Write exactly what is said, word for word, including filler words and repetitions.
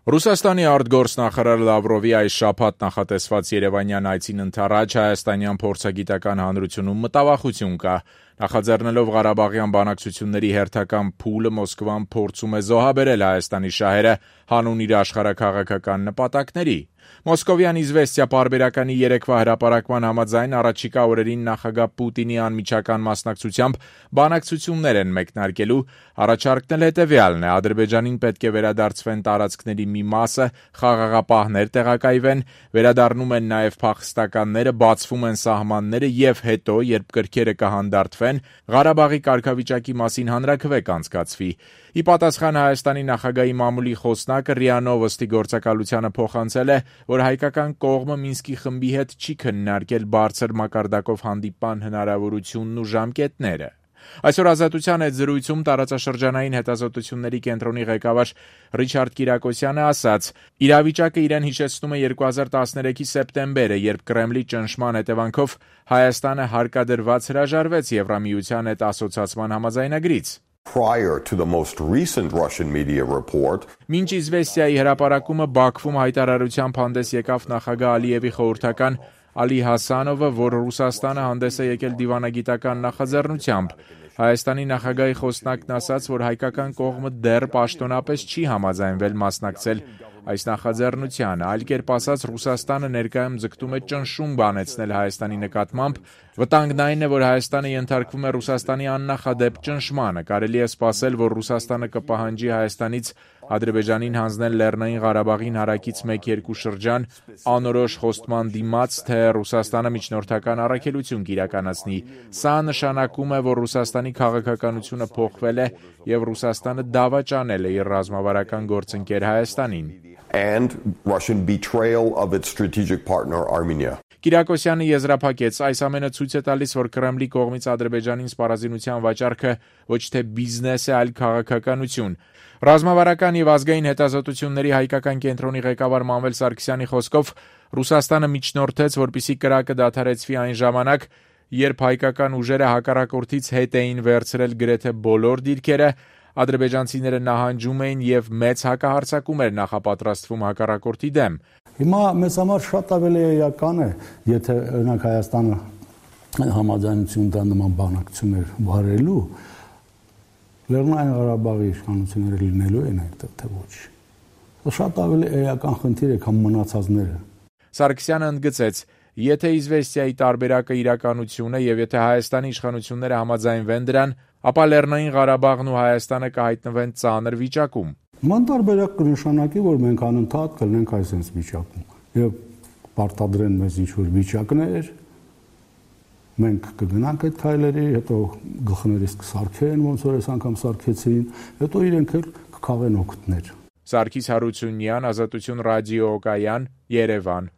Ռուսաստանի արտգործնախարար Լավրովի այս շաբաթ նախատեսված երևանյան այցին ընդառաջ հայաստանյան փորձագիտական հանրությունում մտավախություն կա։ Նախաձեռնելով Ղարաբաղյան բանակցությունների հերթական փուլը Մոսկվան փորձում է զոհաբերել Հայաստանի շահերը հանուն իր աշխարհաքաղաքական նպատակների։ Մոսկովյան «Իզվեստիա» պարբերականի երեկվա հրապարակման համաձայն առաջիկա օրերին նախագահ Պուտինի անմիջական մասնակցությամբ բանակցություններ են մեկնարկելու, առաջարկն էլ հետևյալն է. Ադրբեջանին պետք է վերադարձվեն տարածքների մի մասը, խաղաղապահներ տեղակայվեն, վերադառնում են նաև փախստականները, բացվում են սահմանները եւ հետո, երբ կրքերը կհանդարտվեն, Ղարաբաղի կարգավիճակի մասին հանրաքվե կանցկացվի։ Ի պատասխան Հայաստանի նախագահի մամուլի խոսնակը ՌԻԱ Նովոստի գործակալությանը փոխանցել է, որ հայկական կողմը Մինսկի խմբի հետ չի քննարկել բարձր մակարդակով հանդիպման հնարավորությունն ու ժամկետները։ Այսօր Ազատության հետ զրույցում տարածաշրջանային հետազոտությունների կենտրոնի ղեկավար Ռիչարդ Կիրակոսյանը ասաց. իրավիճակը իրեն հիշեցնում է երկու հազար տասներեքի սեպտեմբերը, երբ Կրեմլի ճնշման հետևանքով Հայաստանը հարկադրված հրաժարվեց Եվրամիության հետ ասոցացման համաձայնագրից։ Prior to the most recent Russian media report, Մինչ «Իզվեստիայի» հրապարակումը Բաքվում հայտարարությամբ հանդես եկավ նախագահ Ալիևի խորհրդական Ալի Հասանովը, որ Ռուսաստանը հանդես է եկել դիվանագիտական նախաձեռնությամբ։ Հայաստանի նախագահի խոսնակն ասաց, որ հայկական կողմը դեռ պաշտոնապես չի համաձայնվել մասնակցել այս նախաձեռնությանը, այլ կերպ ասած Ռուսաստանը ներկայում ձգտում է ճնշում բանեցնել Հայաստանի նկատմամբ, վտանգն այն է, որ Հայաստանը ենթարկվում է Ռուսաստանի աննախադեպ ճնշմանը, կարելի է սպասել, որ Ռուսաստանը կպահանջի Հայաստանից Ադրբեջանին հանձնել Լեռնային Ղարաբաղին հարակից մեկ-երկու շրջան, անորոշ խոստման դիմաց, թե Ռուսաստանը միջնորդական առաքելություն կիրականացնի։ Սա նշանակում է, որ Ռուսաստանի քաղաքականությունը փոխվել է եւ Ռուսաստանը դավաճանել է իր ռազմավարական գործընկեր Հայաստանին։ and Russian betrayal of its strategic partner Armenia. Կիրակոսյանը եզրափակեց, այս ամենը ցույց է տալիս, որ Կրեմլի կողմից Ադրբեջանին սպառազինության վաճառքը ոչ թե բիզնես է, այլ քաղաքականություն։ Ռազմավարական եւ ազգային հետազոտությունների հայկական կենտրոնի ղեկավար Մանվել Սարգսյանի խոսքով Ռուսաստանը միջնորդեց, որպեսզի կրակը դադարեցվի այն ժամանակ, երբ հայկական ուժերը հակառակորդից հետ էին վերցրել գրեթե բոլոր դիրքերը, ադրբեջանցիները նահանջում էին եւ մեծ հակահարձակում էր նախապատրաստվում հակառակորդի դեմ։ Հիմա մեզ համար շատ ավելի էական է, եթե օրինակ Հայաստանը համաձայնություն տա նման բանակցություններ վարելու, Լեռնային Ղարաբաղի իշխանությունները լինելու են այդտեղ թե ոչ։ Շատ ավելի էական խնդիր է, քան մնացածները։ Սարգսյանը ընդգծեց, եթե «Իզվեստիայի» տարբերակը իրականություն է եւ եթե Հայաստանի իշխանությունները համաձայնվեն դրան, ապա Լեռնային Ղարաբաղն ու Հայաստանը կհայտնվեն ծանր վիճակում։ Ման տարբերակ կնշանակի, որ մենք անընդհատ կլինենք այսպես վիճակում եւ պարտադրեն մեզ ինչ-որ վիճակներ, մենք կգնանք այդ քայլերի, հետո գլխներիս կսարքեն, ոնց որ այս անգամ սարքեցին, հետո իրենք էլ կքաղեն օգուտներ։ Սարգիս Հարությունյան, Ազատություն ռադիո Օկայան, Երևան։